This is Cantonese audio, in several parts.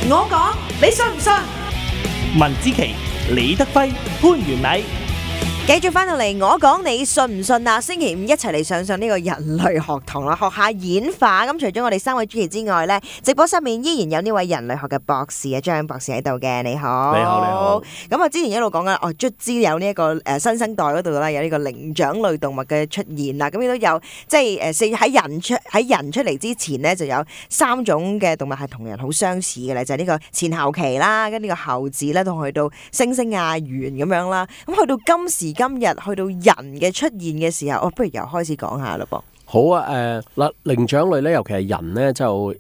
我講你信唔信？文之奇、李德輝、潘元禮。繼續翻到嚟，我講你信唔信啊？星期五一齊嚟上呢個人類學堂啦，學下演化。咁除咗我哋三位主持之外呢，直播室面依然有呢位人類學嘅博士啊，張博士喺度嘅。你好，你好。咁啊，之前一路講緊卒之有呢一個新生代嗰度啦，有呢個靈長類動物嘅出現啦。咁亦都有即係喺人出嚟之前呢，就有3種嘅動物係同人好相似嘅咧，就係呢個前後期啦，跟呢個後字咧，同去到猩猩啊、猿咁樣啦。咁去到今日去到人嘅出現嘅時候，不如由開始講下咯噃。好啊，嗱，靈長類咧，尤其係人咧，就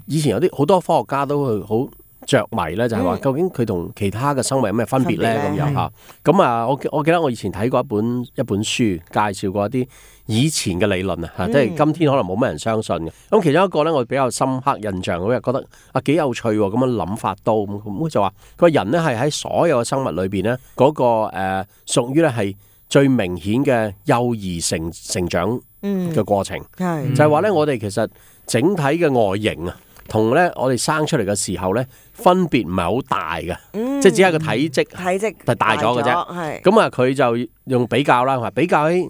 以前有啲好多科學家都會好着迷咧，就係話究竟佢同其他嘅生物有咩分別咧咁樣嚇。咁啊，我記得我以前睇過一本書，介紹過一啲以前嘅理論啊，即係今天可能冇乜人相信嘅。咁其中一個咧，我比較深刻印象，我又覺得幾有趣喎，咁樣諗法都咁就話佢人咧係喺所有嘅生物裏邊咧嗰個屬於咧係最明顯嘅幼兒成長嘅過程，就係話咧，我哋其實整體嘅外形啊，同咧我哋生出嚟嘅時候咧，分別唔係好大嘅，即係只係個體積係大咗嘅啫。咁啊，佢就用比較啦，比較起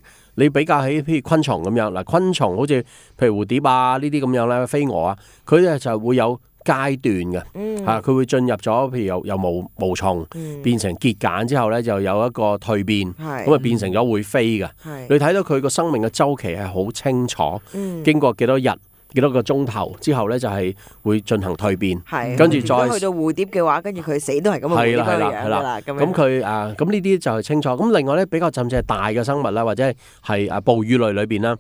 譬如昆蟲咁樣嗱，昆蟲好似譬如蝴蝶啊呢啲咁樣咧，飛蛾啊，佢咧就會有階段嘅，佢會進入咗，譬如由毛蟲變成結繭之後咧，就有一個蛻變，咁啊變成咗會飛嘅。你睇到佢個生命嘅週期係好清楚，經過幾多日、幾多個鐘頭之後咧，就係會進行蛻變，跟住再去到蝴蝶嘅話，跟住佢死都係咁嘅樣㗎啦。咁佢咁呢啲就係清楚。咁另外咧，比較甚至係大嘅生物啦，或者係哺乳類裏邊啦。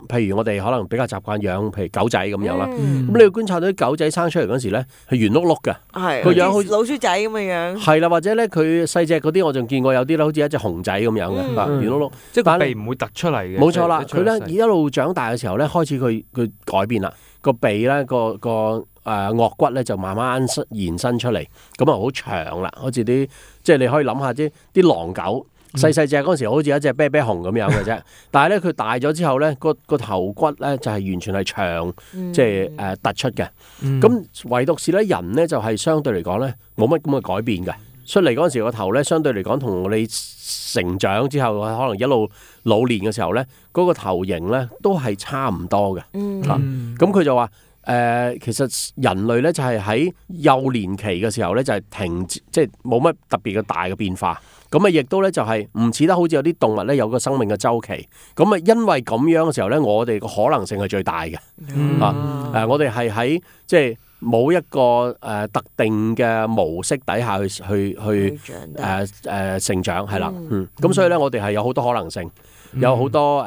譬如我哋可能比較習慣養，譬如狗仔咁樣啦。咁你要觀察到啲狗仔生出嚟嗰時咧，係圓碌碌嘅，個樣好似老鼠仔咁嘅樣。係啦，或者咧佢細隻嗰啲，我仲見過有啲咧，好似一隻熊仔咁樣嘅，圓碌碌，即係個鼻唔會突出嚟嘅。冇錯啦，佢咧一路長大嘅時候咧，開始佢改變啦，個鼻咧個顎骨咧就慢慢延伸出嚟，咁啊好長啦，好似啲即係你可以諗下啲狼狗。細隻嗰陣時好似一隻啤啤熊咁樣嘅啫，但係咧佢大咗之後咧，個頭骨咧就係完全係長，即係突出嘅。咁唯獨是咧人咧就係相對嚟講咧冇乜咁嘅改變嘅。出嚟嗰陣時個頭咧相對嚟講同你成長之後可能一路老年嘅時候咧，嗰個頭型咧都係差唔多嘅。咁佢就話其實人類咧就係喺幼年期嘅時候咧就係停止，即係冇乜特別嘅大嘅變化。咁啊，亦都咧就係唔似得好似有啲動物咧有個生命嘅週期。咁啊，因為咁樣嘅時候咧，我哋個可能性係最大嘅。我哋係喺即係冇一個特定嘅模式底下去成長係啦。咁所以咧，我哋係有好多可能性，有好多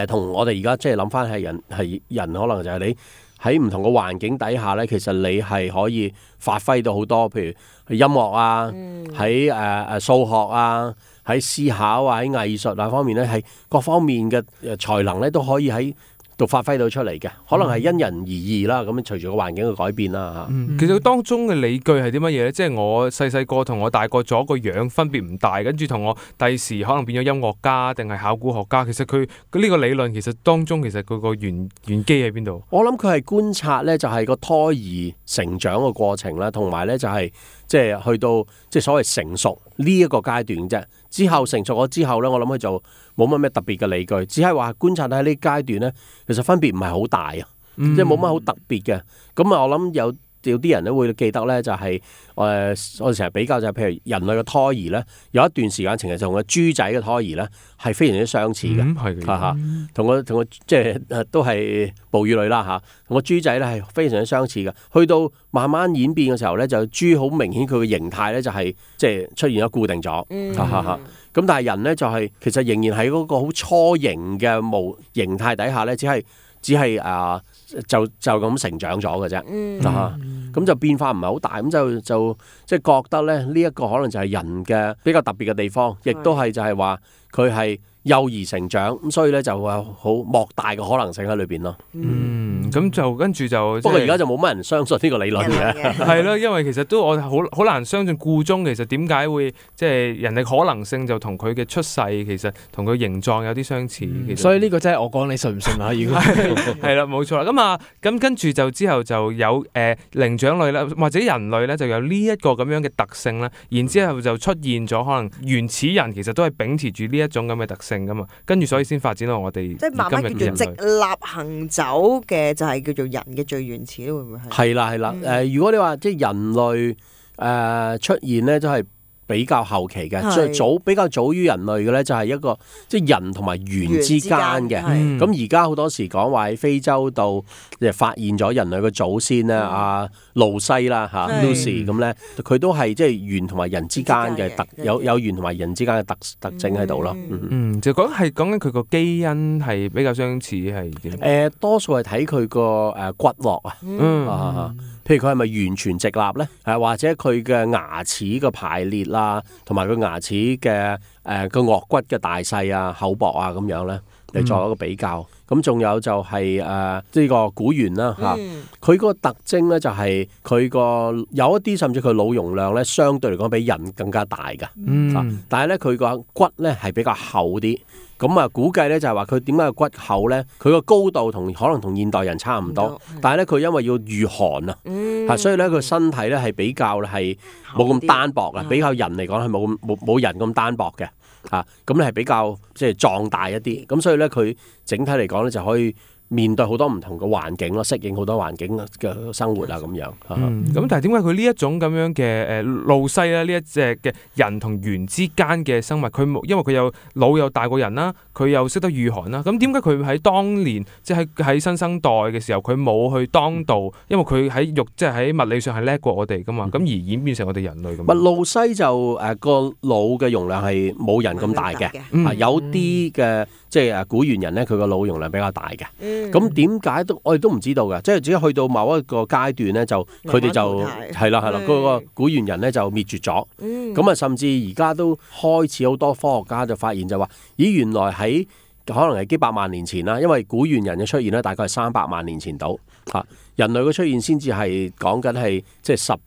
同我哋而家即係諗翻係人可能就係你喺唔同嘅環境底下咧，其實你係可以發揮到好多，譬如音樂啊，喺數學啊，喺思考啊，喺藝術啊方面咧，係各方面嘅才能咧都可以喺度發揮到出嚟嘅，可能係因人而異啦。咁隨住個環境嘅改變啦嚇。其實當中嘅理據係啲乜嘢咧？即係我細個同我大個咗個樣分別唔大，跟住同我第時可能變咗音樂家定係考古學家。其實佢呢個理論其實當中其實佢個原機喺邊度？我諗佢係觀察咧，就係個胎兒成長嘅過程啦，同埋咧就係即係去到即係所謂成熟呢一個階段啫。之後成熟咗之後咧，我諗佢就冇乜咩特別嘅理據，只係話觀察喺呢階段咧，其實分別唔係好大啊，即係冇乜好特別嘅。咁啊，我諗有啲人咧會記得咧，就係我哋成日比較就係譬如人類嘅胎兒咧，有一段時間其實同個豬仔嘅胎兒咧係非常之相似嘅，同個即係都係哺乳類啦嚇，同個豬仔咧係非常之相似嘅。去到慢慢演變嘅時候咧，就豬好明顯佢嘅形態咧就係即係出現咗固定咗，咁但係人咧就係其實仍然喺嗰個好初型嘅模形態底下咧，只係就咁成長咗嘅啫，咁就變化唔係好大，咁就即係覺得咧呢一個可能就係人嘅比較特別嘅地方，亦都係就係話佢係幼兒成長，咁所以咧就會有好莫大嘅可能性喺裏邊咯。咁就跟住就不過而家就冇乜人相信呢個理論嘅。係咯，因為其實都我好難相信故中其實點解會即係人哋可能性就同佢嘅出世其實同佢形狀有啲相似。其實所以呢個真係我講你信唔信啊？如果係啦，冇錯啦。咁跟住就之後就有靈長類啦，或者人類咧就有呢一個咁樣嘅特性啦。然之後就出現咗可能原始人其實都係秉持住呢一種咁嘅特性噶嘛，跟住所以先發展到我哋即係慢慢叫做直立行走嘅，就係叫做人嘅最原始，會唔會係？係啦，如果你話即係人類出現咧，都係比較後期嘅，最早比較早於人類嘅咧，就係一個即係人同埋猿之間嘅。咁而家好多時講話喺非洲度發現咗人類嘅祖先咧，阿露西啦嚇 Lucy 咁咧，佢都係即係猿同埋人之間嘅有猿同埋人之間嘅特徵喺度咯。就講緊佢個基因係比較相似係點？多數係睇佢個骨骼啊。譬如佢係咪完全直立咧？或者佢嘅牙齒嘅排列啦，同埋佢牙齒嘅個顎骨嘅大細啊、厚薄啊咁樣咧，嚟作一個比較。咁仲有就係呢個古猿啦嚇，佢個特徵咧就係佢個有一啲甚至佢腦容量咧，相對嚟講比人更加大嘅。但係咧佢個骨咧係比較厚啲。咁啊，估計咧就係話佢點解個骨厚咧？佢個高度可能同現代人差唔多，但係咧佢因為要御寒啊，所以咧佢身體咧係比較係冇咁單薄啊，比較人嚟講係冇人咁單薄嘅嚇，咁咧係比較即係壯大一啲，咁所以咧佢整體嚟講咧就可以面對好多唔同嘅環境咯，適應好多環境嘅生活啊咁樣。咁但係點解佢呢一種咁樣嘅露西咧，呢一隻嘅人同猿之間嘅生物，佢因為佢有腦又大過人啦，佢又識得御寒啦，咁點解佢喺當年即係喺新生代嘅時候，佢冇去當道？因為佢喺即係喺物理上係叻過我哋噶嘛，咁而演變成我哋人類咁。露西就個腦嘅容量係冇人咁大嘅，有啲嘅即係古猿人咧，佢個腦容量比較大嘅。咁點解我哋都唔知道嘅，即係只係去到某一個階段咧，就佢哋就係啦，嗰個古猿人咧就滅絕咗。咁啊，甚至而家都開始好多科學家就發現就話，咦，原來喺可能係幾百萬年前啦，因為古猿人嘅出現咧，大概係300萬年前到嚇，人類嘅出現先至係講緊係即係10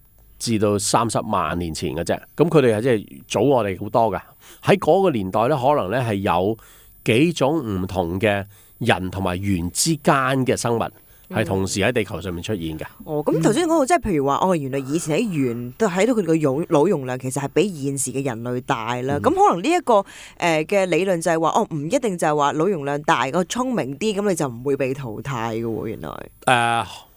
至到30萬年前嘅啫。咁佢哋係即係早我哋好多㗎。喺嗰個年代咧，可能咧係有幾種唔同嘅人同埋猿之間嘅生物係同時喺地球上面出現嘅。咁頭先講到即係譬如話，原來以前喺猿都睇到佢哋個腦容量其實係比現時嘅人類大啦。咁可能呢一個嘅理論就係話，唔一定就係話腦容量大個聰明啲，咁你就唔會被淘汰嘅喎。原來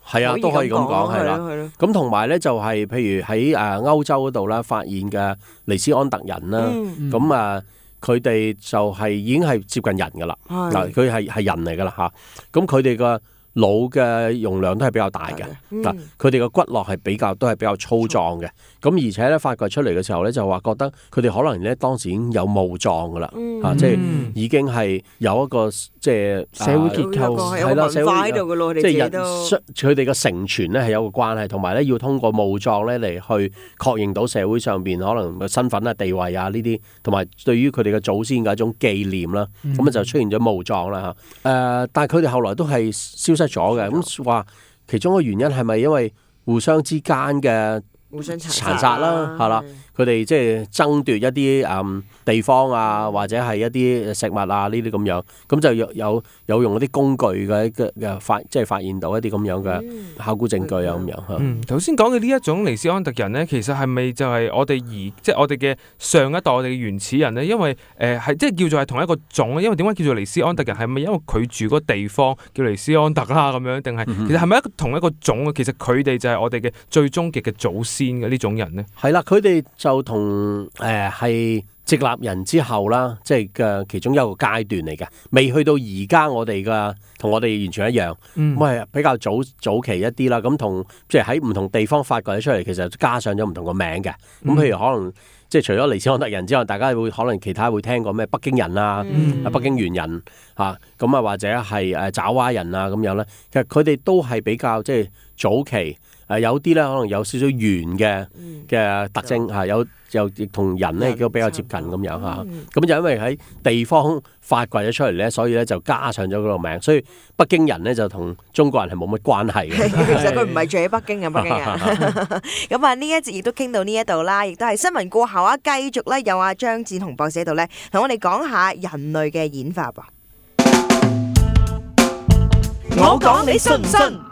係啊，都可以咁講係啦。咁同埋咧就係譬如喺歐洲嗰度啦，發現嘅尼斯安特人啦，咁佢哋就係已經係接近人㗎啦。嗱，佢係人嚟㗎啦嚇。咁佢哋個腦嘅容量都係比較大嘅。嗱，佢哋個骨骼係都係比較粗壯嘅。咁而且咧發掘出嚟嘅時候咧，就話覺得佢哋可能咧當時已經有墓葬㗎啦。即係已經係有一個即係社會結構係啦，社會喺度㗎咯。即係佢哋嘅承傳咧係有個關係，同埋咧要通過墓葬咧嚟去確認到社會上邊可能嘅身份啊、地位啊呢啲，同埋對於佢哋嘅祖先嘅一種紀念啦。咁就出現咗墓葬啦嚇。但係佢哋後來都係消失咗嘅。咁話其中一個原因係咪因為互相之間嘅互相殘殺啦，係啦，佢哋即係爭奪一啲地方啊，或者係一啲食物啊呢啲咁樣，咁就有用嗰啲工具嘅即係發現到一啲咁樣嘅考古證據啊咁樣。頭先講嘅呢一種尼斯安特人咧，其實係咪就係我哋即係我哋嘅上一代我哋嘅原始人咧？因為係即係叫做係同一個種，因為點解叫做尼斯安特人？係咪因為佢住嗰地方叫尼斯安特啦咁樣？定係其實係咪同一個種啊？其實佢哋就係我哋嘅最終極嘅祖先嘅呢種人咧？係啦，佢哋就同係直立人之後啦，即係嘅其中一個階段嚟嘅，未去到而家我哋嘅同我哋完全一樣，咁係比較早期一啲啦。咁同即係喺唔同地方發掘出嚟，其實加上咗唔同個名嘅。咁譬如可能即係除咗尼斯安特人之外，大家可能其他會聽過咩北京人啊、北京猿人嚇，咁或者係爪哇人啊咁樣咧。其實佢哋都係比較即係早期。有啲咧可能有少少猿嘅特徵嚇，有就亦同人咧亦都比較接近咁樣嚇。咁就因為喺地方發掘咗出嚟咧，所以咧就加上咗嗰個名。所以北京人咧就同中國人係冇乜關係嘅。其實佢唔係住喺北京嘅北京人。咁啊，呢一節亦都傾到呢一度啦，亦都係新聞過後啊，繼續咧有阿張展鴻博士喺度咧，同我哋講下人類嘅演化噃。我講你信唔信？